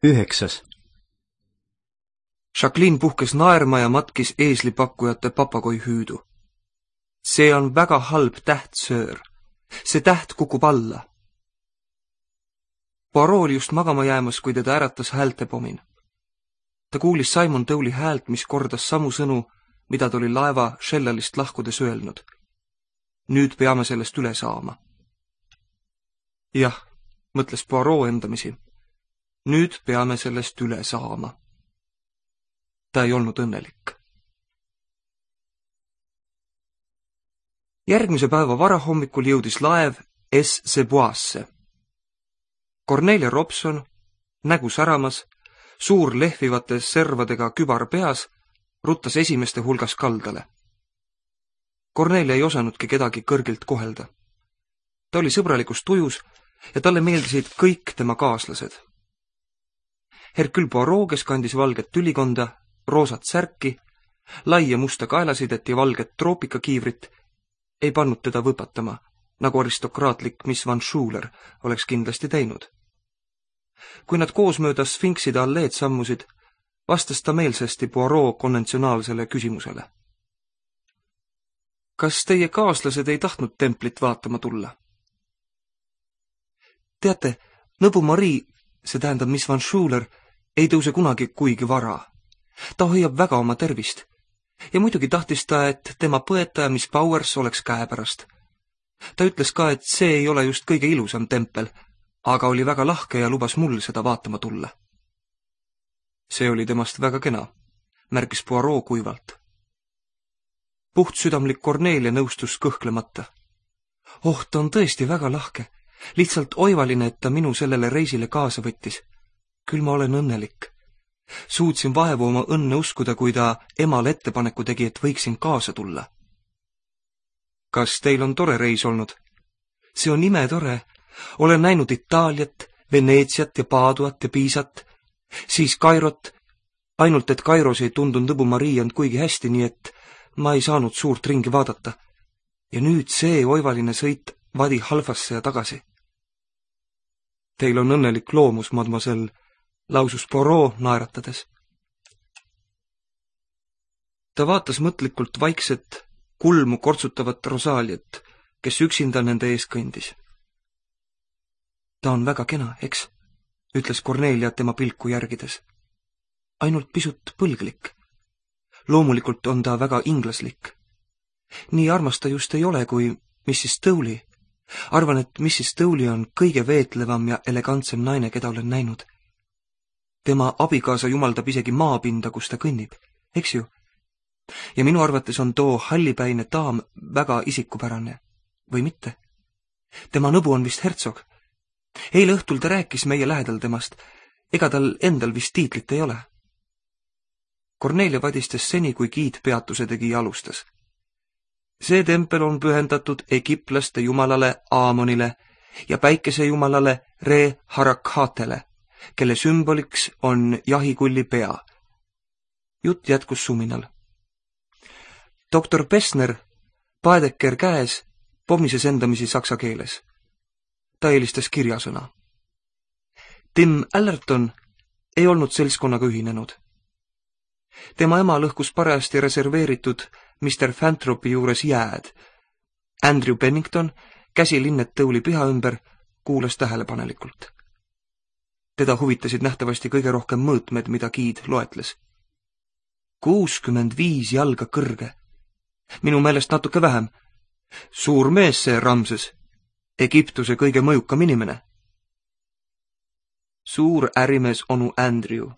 9. Jacqueline puhkes naerma ja matkis eeslipakkujate papagoi hüüdu. See on väga halb täht, söör. See täht kukub alla. Poirot oli just magama jäämas, kui teda äratas häältepomin. Ta kuulis Simon Towley häält, mis kordas samu sõnu, mida ta oli laeva Shellalist lahkudes öelnud. Nüüd peame sellest üle saama. Jah, mõtles Poirot endamisi. Nüüd peame sellest üle saama. Ta ei olnud õnnelik. Järgmise päeva varahommikul jõudis laev S-Seboisse. Cornelia Robson, nägu säramas, suur lehvivate servadega kübar peas, ruttas esimeste hulgas kaldale. Cornelia ei osanudki kedagi kõrgilt kohelda. Ta oli sõbralikus tujus ja talle meeldisid kõik tema kaaslased. Hercule Poirot, kes kandis valget tülikonda, roosat särki, laia musta kaelasidet ja valget troopikakiivrit, ei pannud teda võpatama, nagu aristokraatlik Miss Van Schuler oleks kindlasti teinud. Kui nad koos mööda Sfinkside alleed sammusid, vastas ta meelsasti Poirot konventsionaalsele küsimusele. Kas teie kaaslased ei tahtnud templit vaatama tulla? Teate, nõbu Marie, see tähendab Miss Van Schuler, ei tõuse kunagi kuigi vara. Ta hoiab väga oma tervist. Ja muidugi tahtis ta, et tema põetaja Miss Powers oleks käepärast. Ta ütles ka, et see ei ole just kõige ilusam tempel, aga oli väga lahke ja lubas mul seda vaatama tulla. See oli temast väga kena, märkis Poirot kuivalt. Puhtsüdamlik Cornelia nõustus kõhklemata. Oh, ta on tõesti väga lahke. Lihtsalt oivaline, et ta minu sellele reisile kaasa võttis. Küll ma olen õnnelik. Suutsin vaevu oma õnne uskuda, kui ta emale ettepaneku tegi, et võiksin kaasa tulla. Kas teil on tore reis olnud? See on imetore. Olen näinud Itaaliat, Veneetsiat ja Paaduat ja Piisat, siis Kairot, ainult et Kairos ei tundunud nõbu Marie end kuigi hästi, nii et ma ei saanud suurt ringi vaadata. Ja nüüd see oivaline sõit Vadi Halfasse ja tagasi. Teil on õnnelik loomus, mademoiselle, lausus Poirot naeratades. Ta vaatas mõtlikult vaikset, kulmu kortsutavat Rosaaliat, kes üksinda nende ees kõndis. Ta on väga kena, eks, ütles Cornelia tema pilku järgides. Ainult pisut põlglik. Loomulikult on ta väga inglaslik. Nii armas ta just ei ole kui Mrs. Towley. Arvan, et Mrs. Towley on kõige veetlevam ja elegantsem naine, keda olen näinud. Tema abikaasa jumaldab isegi maapinda, kus ta kõnnib, eks ju? Ja minu arvates on too hallipäine daam väga isikupärane, või mitte? Tema nõbu on vist hertsog. Eile õhtul ta rääkis meie lähedal temast, ega tal endal vist tiitlit ei ole. Cornelia vadistas seni, kui giid peatuse tegi ja alustas. See tempel on pühendatud egiptlaste jumalale Aamonile ja päikesejumalale Re Harakhatele, kelle sümboliks on jahikulli pea. Jutt jätkus suminal. Doktor Pessner, Paedeker käes, pomises endamisi saksa keeles. Ta eelistas kirjasõna. Tim Allerton ei olnud seltskonnaga ühinenud. Tema ema lõhkus parajasti reserveeritud Mr. Fantropi juures jääd. Andrew Pennington, käsi linnet Towley piha ümber, kuulas tähelepanelikult. Teda huvitasid nähtavasti kõige rohkem mõõtmed, mida giid loetles. 65 jalga kõrge. Minu meelest natuke vähem. Suur mees see Ramses. Egiptuse kõige mõjukam inimene. Suur ärimees onu Andrew.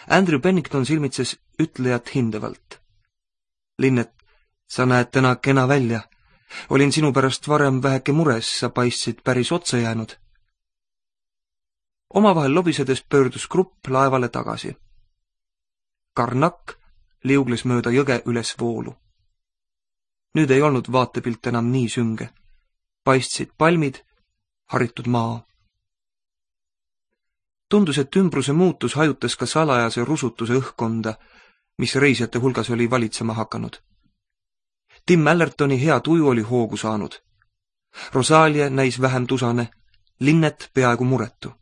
Andrew Pennington silmitses ütlejat hindavalt. Linnet, sa näed täna kena välja. Olin sinu pärast varem väheke mures, sa paistsid päris otsa jäänud. Omavahel lobisedes pöördus grupp laevale tagasi. Karnak liugles mööda jõge üles voolu. Nüüd ei olnud vaatepilt enam nii sünge. Paistsid palmid, haritud maa. Tundus, et ümbruse muutus hajutas ka salajase rusutuse õhkkonda, mis reisijate hulgas oli valitsema hakanud. Tim Allertoni hea tuju oli hoogu saanud. Rosalia näis vähem tusane, linnet peaaegu muretu.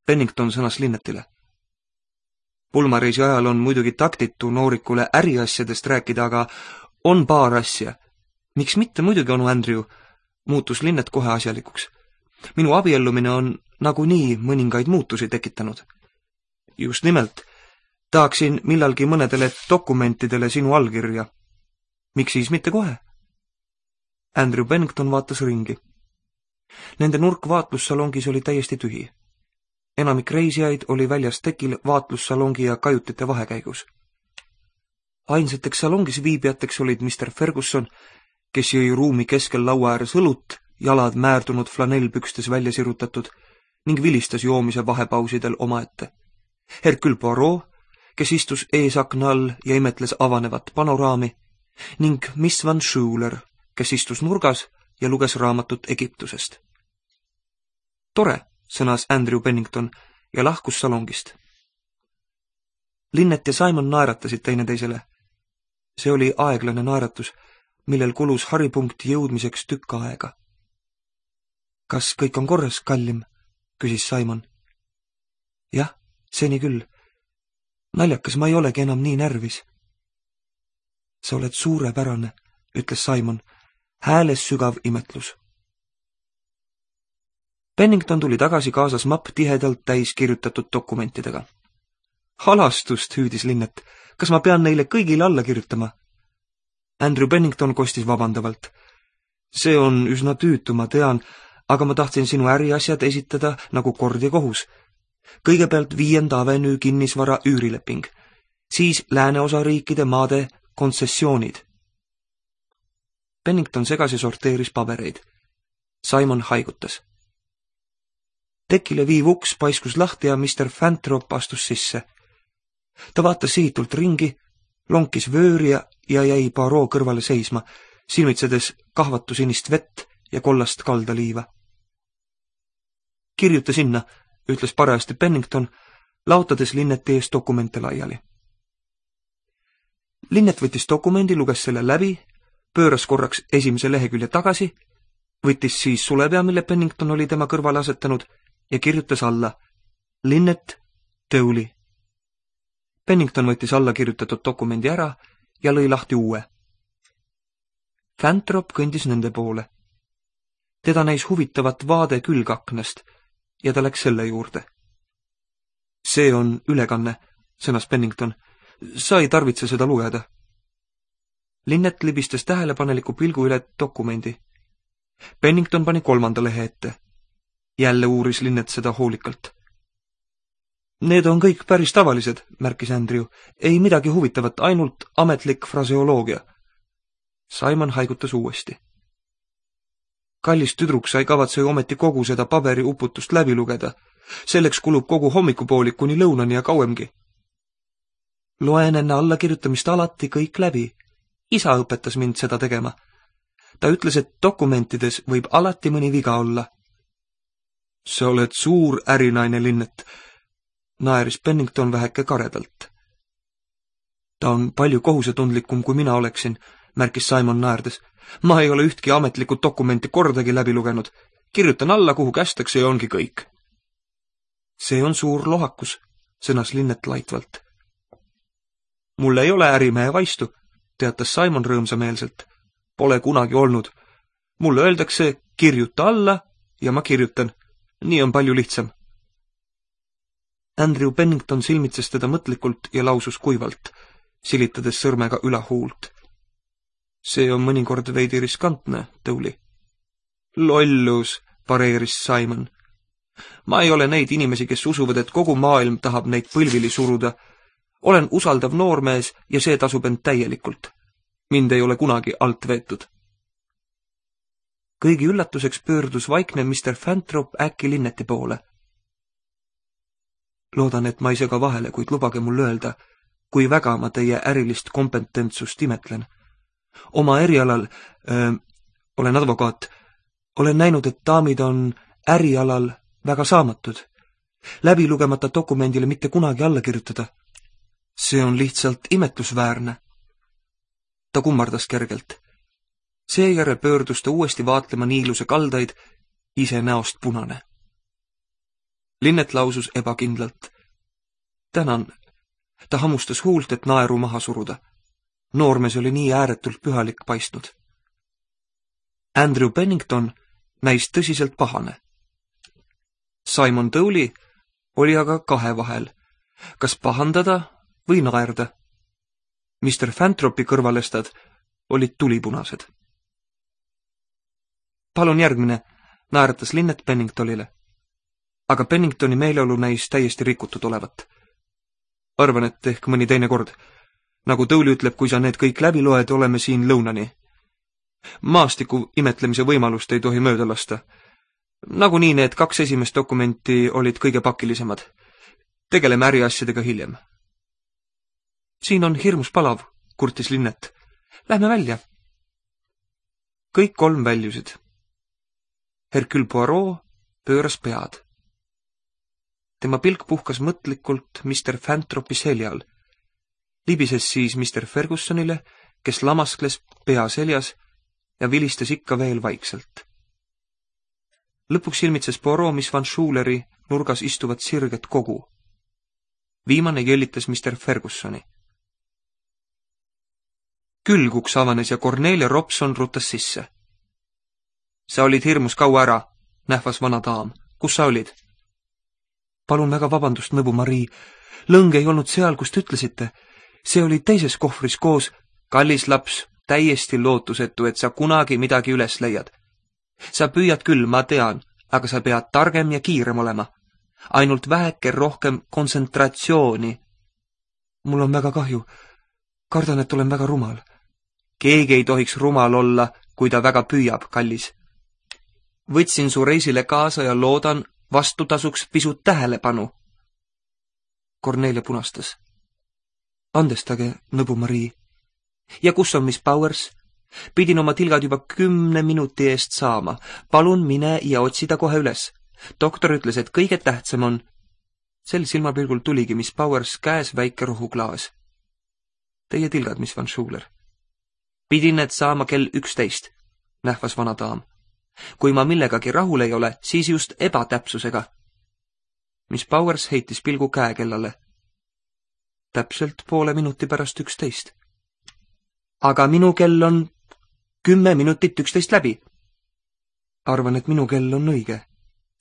Pennington sõnas Linnetile. Pulmareisi ajal on muidugi taktitu noorikule äriasjadest rääkida, aga on paar asja. Miks mitte muidugi, onu Andrew, muutus Linnet kohe asjalikuks. Minu abiellumine on nagunii mõningaid muutusi tekitanud. Just nimelt, tahaksin millalgi mõnedele dokumentidele sinu allkirja. Miks siis mitte kohe? Andrew Pennington vaatas ringi. Nende nurk vaatlussalongis oli täiesti tühi. Enamik reisijaid oli väljas tekil vaatlussalongi ja kajutite vahekäigus. Ainsateks salongis viibijateks olid Mr. Ferguson, kes jõi ruumi keskel laua ääres õlut, jalad määrdunud flanellpükstes välja sirutatud ning vilistas joomise vahepausidel omaette. Hercule Poirot, kes istus eesakna all ja imetles avanevat panoraami, ning Miss Van Schuler, kes istus nurgas ja luges raamatut Egiptusest. Tore, sõnas Andrew Pennington ja lahkus salongist. Linnet ja Simon naeratasid teineteisele. See oli aeglane naeratus, millel kulus haripunkti jõudmiseks tükk aega. Kas kõik on korras, kallim? Küsis Simon. Jah, seni küll. Naljakas, ma ei olegi enam nii närvis. Sa oled suurepärane, ütles Simon, hääles sügav imetlus. Pennington tuli tagasi kaasas mapp tihedalt täis kirjutatud dokumentidega. Halastust, hüüdis Linnet, kas ma pean neile kõigile alla kirjutama? Andrew Pennington kostis vabandavalt. See on üsna tüütu, ma tean, aga ma tahtsin sinu äriasjad esitada nagu kord ja kohus. Kõigepealt 5. avenüü kinnisvara üürileping, siis lääneosa riikide maade kontsessioonid. Pennington segas ja sorteeris pabereid. Simon haigutas. Tekile viiv uks paiskus lahti ja Mr. Fantrop astus sisse. Ta vaatas sihitult ringi, lonkis vööri ja jäi Poirot kõrvale seisma, silmitsedes kahvatusinist vett ja kollast kaldaliiva. Kirjuta sinna, ütles parajasti Pennington, laotades Linneti ees dokumente laiali. Linnet võttis dokumendi, luges selle läbi, pööras korraks esimese lehekülje tagasi, võttis siis sulepea, mille Pennington oli tema kõrvale asetanud, ja kirjutas alla Linnet Dowley. Pennington võttis alla kirjutatud dokumendi ära ja lõi lahti uue. Fantrop kõndis nende poole. Teda näis huvitavat vaade külgaknast ja ta läks selle juurde. See on ülekanne, sõnas Pennington. Sa ei tarvitse seda lugeda. Linnet libistas tähelepaneliku pilgu üle dokumendi. Pennington pani 3. lehe ette. Jälle uuris Linnet seda hoolikalt. Need on kõik päris tavalised, märkis Andrew. Ei midagi huvitavat, ainult ametlik fraseoloogia. Simon haigutas uuesti. Kallis tüdruk, sa ei kavatse ju ometi kogu seda paberiuputust läbi lugeda. Selleks kulub kogu hommikupoolik kuni lõunani ja kauemgi. Loen enne allakirjutamist alati kõik läbi. Isa õpetas mind seda tegema. Ta ütles, et dokumentides võib alati mõni viga olla. Sa oled suur ärinaine, Linnet, naeris Pennington väheke karedalt. Ta on palju kohusetundlikum, kui mina oleksin, märkis Simon naerdes. Ma ei ole ühtki ametlikku dokumenti kordagi läbi lugenud. Kirjutan alla, kuhu kästakse ja ongi kõik. See on suur lohakus, sõnas Linnet laitvalt. Mul ei ole ärimehe vaistu, teatas Simon rõõmsameelselt. Pole kunagi olnud. Mulle öeldakse, kirjuta alla ja ma kirjutan. Nii on palju lihtsam. Andrew Pennington silmitses teda mõtlikult ja lausus kuivalt, silitades sõrmega ülahuult. See on mõnikord veidi riskantne, Dowley. Lollus, pareeris Simon. Ma ei ole neid inimesi, kes usuvad, et kogu maailm tahab neid põlvili suruda. Olen usaldav noormees ja see tasub end täielikult. Mind ei ole kunagi alt veetud. Kõigi üllatuseks pöördus vaikne Mr. Fantrop äkki Linneti poole. Loodan, et ma ei sega vahele, kuid lubage mul öelda, kui väga ma teie ärilist kompetentsust imetlen. Oma erialal, olen advokaat, olen näinud, et daamid on ärialal väga saamatud. Läbi lugemata dokumendile mitte kunagi alla kirjutada. See on lihtsalt imetlusväärne. Ta kummardas kergelt. Seejärel pöördus ta uuesti vaatlema niiluse kaldaid, ise näost punane. Linnet lausus ebakindlalt. Tänan. Ta hamustas huult, et naeru maha suruda. Noormees oli nii ääretult pühalik paistnud. Andrew Pennington näis tõsiselt pahane. Simon Dowley oli aga kahe vahel, kas pahandada või naerda. Mr. Fantropi kõrvalestad olid tulipunased. Palun järgmine, naeratas Linnet Penningtonile. Aga Penningtoni meeleolu näis täiesti rikutud olevat. Arvan, et ehk mõni teine kord. Nagu Dowley ütleb, kui sa need kõik läbi loed, oleme siin lõunani. Maastiku imetlemise võimalust ei tohi mööda lasta. Nagunii need 2 esimest dokumenti olid kõige pakilisemad. Tegeleme äriasjadega hiljem. Siin on hirmus palav, kurtis Linnet. Lähme välja. Kõik 3 väljusid. Hercule Poirot pööras pead. Tema pilk puhkas mõtlikult Mr. Fantropi seljal. Libises siis Mr. Fergusonile, kes lamaskles pea seljas ja vilistas ikka veel vaikselt. Lõpuks ilmitses Poirot Miss Van Schuleri nurgas istuvat sirget kogu. Viimane jõllitas Mr. Fergusoni. Külguks avanes ja Cornelia Robson rutas sisse. Sa olid hirmus kaua ära, nähvas vana daam. Kus sa olid? Palun väga vabandust, nõbu Marii. Lõng ei olnud seal, kus te ütlesite. See oli teises kohvris koos. Kallis laps, täiesti lootusetu, et sa kunagi midagi üles leiad. Sa püüad küll, ma tean, aga sa pead targem ja kiirem olema. Ainult väheke rohkem kontsentratsiooni. Mul on väga kahju. Kardan, et olen väga rumal. Keegi ei tohiks rumal olla, kui ta väga püüab, kallis. Võtsin su reisile kaasa ja loodan vastutasuks pisut tähelepanu. Cornelia punastas. Andestage, nõbu Marii. Ja kus on Miss Powers? Pidin oma tilgad juba 10 minuti eest saama. Palun mine ja otsida kohe üles. Doktor ütles, et kõige tähtsam on... Sel silmapilgul tuligi Miss Powers käes väike rohuklaas. Teie tilgad, Miss Van Schuler. Pidin need saama kell 11, nähvas vana daam. Kui ma millegagi rahul ei ole, siis just ebatäpsusega. Miss Powers heitis pilgu käekellale. Täpselt poole minuti pärast 11. Aga minu kell on 10 minutit 11 läbi. Arvan, et minu kell on õige.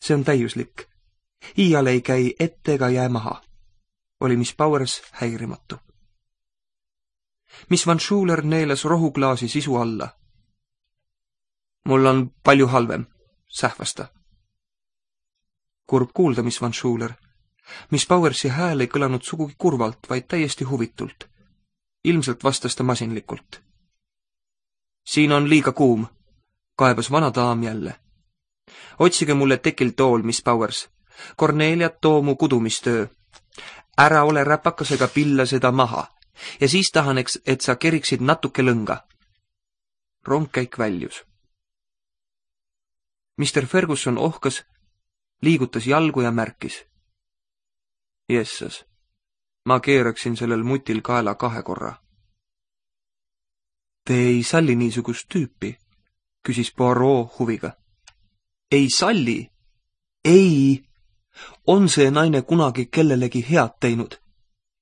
See on täiuslik. Iial ei käi ette ega jää maha. Oli Miss Powers häirimatu. Miss Van Schuler neelas rohuklaasi sisu alla. Mul on palju halvem, sähvas ta. Kurb kuulda, Miss Van Schuler. Miss Powersi hääl ei kõlanud sugugi kurvalt, vaid täiesti huvitult. Ilmselt vastas ta masinlikult. Siin on liiga kuum, kaebas vana daam jälle. Otsige mulle tekil tool, Miss Powers. Cornelia, too mu kudumistöö. Ära ole räpakasega pilla seda maha. Ja siis tahaneks, et sa keriksid natuke lõnga. Rongkäik väljus. Mr. Ferguson ohkas, liigutas jalgu ja märkis. Jessas, ma keeraksin sellel mutil kaela 2 korra. Te ei salli niisugust tüüpi, küsis Poirot huviga. Ei salli? Ei! On see naine kunagi kellelegi head teinud?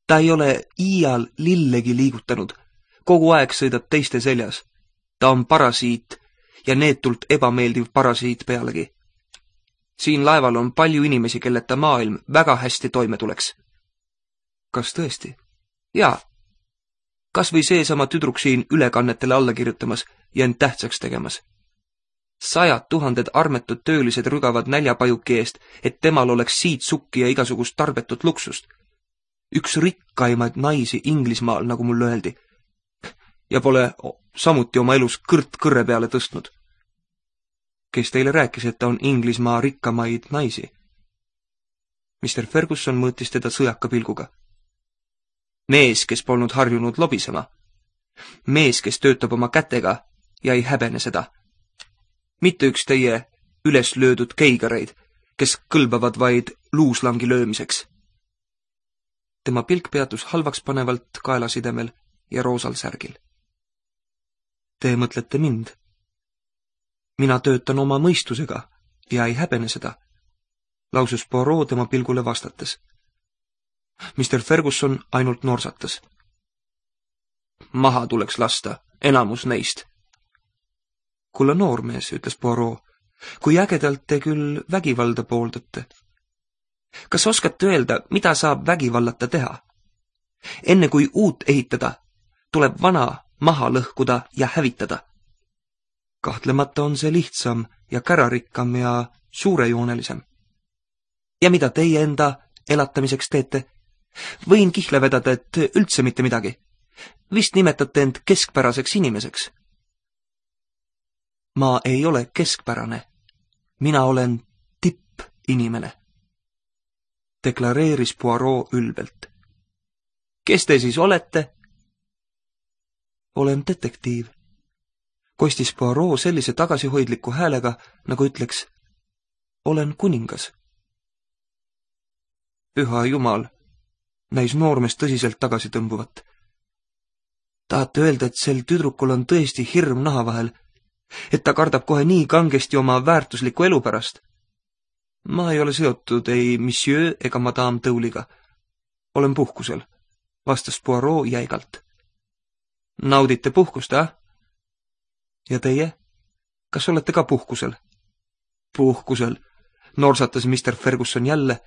Ta ei ole iial lillegi liigutanud. Kogu aeg sõidab teiste seljas. Ta on parasiit ja neetult ebameeldiv parasiit pealegi. Siin laeval on palju inimesi, kelleta maailm väga hästi toime tuleks. Kas tõesti? Jaa. Kas või seesama tüdruk siin ülekannetele alla kirjutamas ja end tähtsaks tegemas. 100 000 armetud töölised rügavad näljapajuki eest, et temal oleks siit sukki ja igasugust tarbetut luksust. Üks rikkaimaid naisi Inglismaal, nagu mulle öeldi. Ja pole samuti oma elus kõrt kõrre peale tõstnud. Kes teile rääkis, et ta on Inglismaa rikkamaid naisi? Mr. Ferguson mõõtis teda sõjaka pilguga. Mees, kes polnud harjunud lobisema. Mees, kes töötab oma kätega ja ei häbene seda. Mitte üks teie üles löödud keigareid, kes kõlbavad vaid luuslangi löömiseks. Tema pilk peatus halvaks panevalt kaelasidemel ja roosal särgil. Te mõtlete mind? Mina töötan oma mõistusega ja ei häbene seda. lausus Poirot tema pilgule vastates. Mr. Ferguson ainult norsatas. Maha tuleks lasta, enamus neist. Kulla noormees, ütles Poirot, kui ägedalt te küll vägivalda pooldate. Kas oskate öelda, mida saab vägivallata teha? Enne kui uut ehitada, tuleb vana maha lõhkuda ja hävitada. Kahtlemata on see lihtsam ja kärarikkam ja suurejoonelisem. Ja mida teie enda elatamiseks teete? Võin kihla vedada, et üldse mitte midagi. Vist nimetate end keskpäraseks inimeseks. Ma ei ole keskpärane. Mina olen tippinimene, deklareeris Poirot ülbelt. Kes te siis olete? Olen detektiiv, kostis Poirot sellise tagasihoidliku häälega, nagu ütleks, olen kuningas. Püha jumal, näis noormees tõsiselt tagasi tõmbuvat. Tahate öelda, et sel tüdrukul on tõesti hirm naha vahel, et ta kardab kohe nii kangesti oma väärtusliku elu pärast? Ma ei ole seotud ei monsieur ega madame Tõuliga. Olen puhkusel, vastas Poirot jäigalt. Naudite puhkust, Ja teie? Kas olete ka puhkusel? Puhkusel, norsatas Mr. Ferguson jälle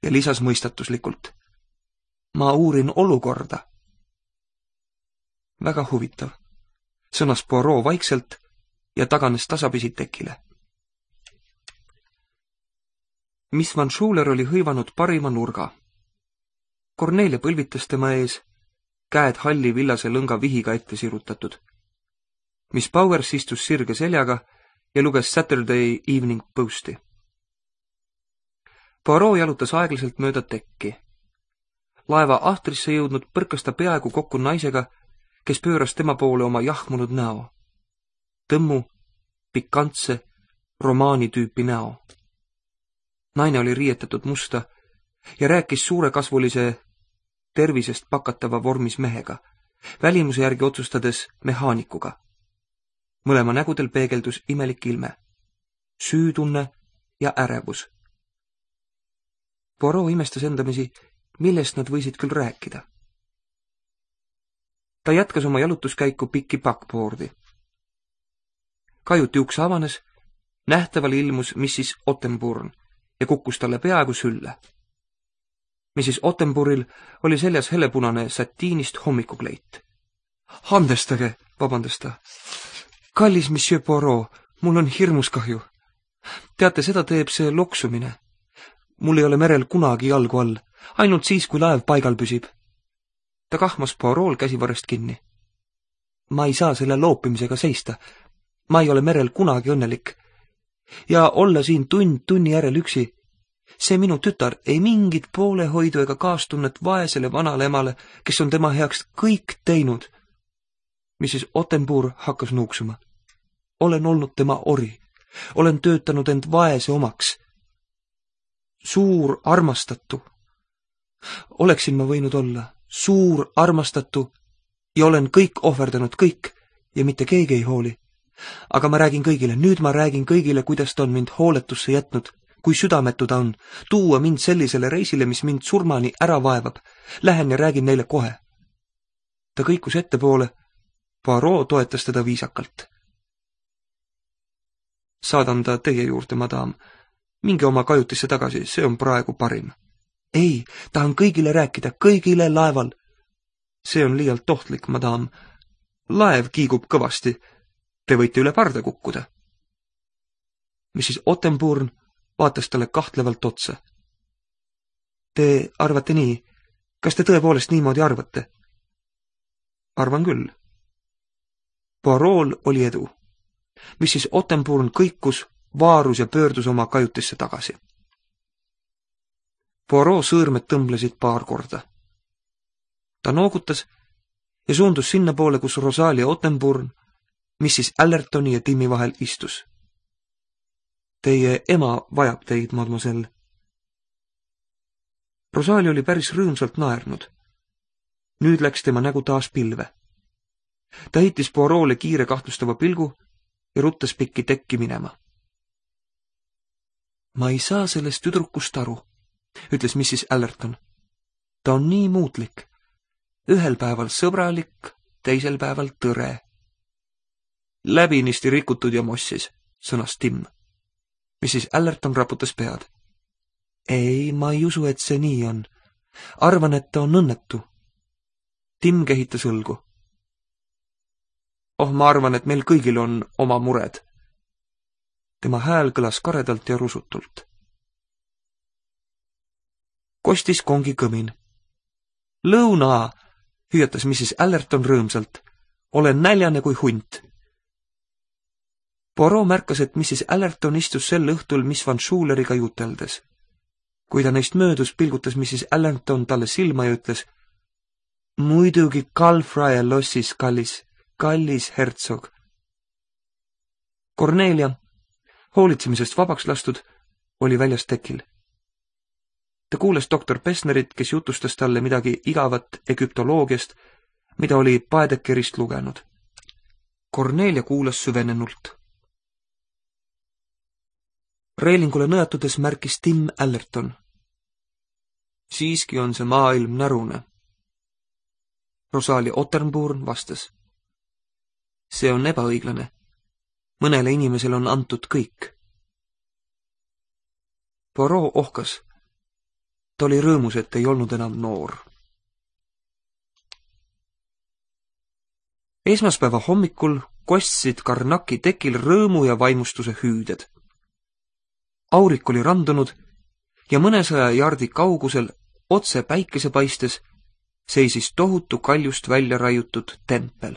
ja lisas mõistatuslikult. Ma uurin olukorda. Väga huvitav, sõnas Poirot vaikselt ja taganes tasapisi tekile. Miss Van Schuler oli hõivanud parima nurga. Cornelia põlvitas tema ees, käed halli villase lõnga vihiga ette sirutatud. Miss Powers istus sirge seljaga ja luges Saturday Evening Posti. Poirot jalutas aeglaselt mööda tekki. Laeva ahtrisse jõudnud põrkas ta peaaegu kokku naisega, kes pööras tema poole oma jahmunud näo. Tõmmu, pikantse, romaani tüüpi näo. Naine oli riietatud musta ja rääkis suurekasvulise tervisest pakatava vormis mehega, välimuse järgi otsustades mehaanikuga. Mõlema nägudel peegeldus imelik ilme, süütunne ja ärevus. Poirot imestas endamisi, millest nad võisid küll rääkida. Ta jätkas oma jalutuskäiku pikki backboardi. Kajuti uks avanes, nähtaval ilmus Mrs. Ottenburn ja kukkus talle peaaegu sülle. Mrs. Ottenburil oli seljas hellepunane satiinist hommikukleit. Andestage, vabandas ta. Kallis monsieur Poirot, mul on hirmus kahju. Teate, seda teeb see loksumine. Mul ei ole merel kunagi jalgu all, ainult siis, kui laev paigal püsib. Ta kahmas Poirol käsivarrest kinni. Ma ei saa selle loopimisega seista. Ma ei ole merel kunagi õnnelik. Ja olla siin tund tunni järel üksi. See minu tütar ei mingit poolehoidu ega kaastunnet vaesele vanale emale, kes on tema heaks kõik teinud. Mrs. Ottenburg hakkas nuuksuma. Olen olnud tema ori. Olen töötanud end vaese omaks. Suur armastatu. Oleksin ma võinud olla suur armastatu ja olen kõik ohverdanud kõik ja mitte keegi ei hooli. Aga ma räägin kõigile, nüüd ma räägin kõigile, kuidas ta on mind hooletusse jätnud, kui südametu ta on, tuua mind sellisele reisile, mis mind surmani ära vaevab. Lähen ja räägin neile kohe. Ta kõikus ettepoole, Poirot toetas teda viisakalt. Saadan ta teie juurde, madam. Minge oma kajutisse tagasi, see on praegu parim. Ei, tahan kõigile rääkida, kõigile laeval. See on liialt ohtlik, madam. Laev kiigub kõvasti. Te võite üle parda kukkuda. Mrs. Ottenburn vaatas talle kahtlevalt otsa. Te arvate nii? Kas te tõepoolest niimoodi arvate? Arvan küll. Poirol oli edu. Mrs. Ottenburn kõikus, vaarus ja pöördus oma kajutisse tagasi. Poirot sõõrmed tõmblesid paar korda. Ta noogutas ja suundus sinna poole, kus Rosalia Ottenburn Mrs. Allertoni ja Timmi vahel istus. Teie ema vajab teid, mademoiselle. Rosalia oli päris rõõmsalt naernud. Nüüd läks tema nägu taas pilve. Ta heitis Poirole kiire kahtlustava pilgu ja ruttas pikki tekki minema. Ma ei saa sellest tüdrukust aru, ütles Mrs. Allerton. Ta on nii muutlik. Ühel päeval sõbralik, teisel päeval tõre. Läbinisti rikutud ja mossis, sõnas Tim. Mrs. Allerton raputas pead. Ei, ma ei usu, et see nii on. Arvan, et ta on õnnetu. Tim kehitas õlgu. Oh, ma arvan, et meil kõigil on oma mured. Tema hääl kõlas karedalt ja rusutult. Kostis kongi kõmin. Lõuna, hüüatas Mrs. Allerton rõõmsalt. Olen näljane kui hunt. Poirot märkas, et Mrs. Allerton istus sel õhtul Miss Van Schuleriga juteldes. Kui ta neist möödus, pilgutas Mrs. Allerton talle silma ja ütles: Muidugi Calfraia lossis, kallis hertsog. Cornelia, hoolitsemisest vabaks lastud, oli väljas tekil. Ta kuulas doktor Pessnerit, kes jutustas talle midagi igavat egüptoloogiast, mida oli Paedekerist lugenud. Cornelia kuulas süvenenult. Reelingule nõjatudes märkis Tim Allerton. Siiski on see maailm närune. Rosalie Otterburn vastas. See on ebaõiglane. Mõnele inimesele on antud kõik. Poirot ohkas. Ta oli rõõmus, et ei olnud enam noor. Esmaspäeva hommikul kostsid Karnaki tekil rõõmu ja vaimustuse hüüded. Aurik oli randunud ja mõnesaja jaardi kaugusel otse päikese paistes seisis tohutu kaljust välja raiutud tempel.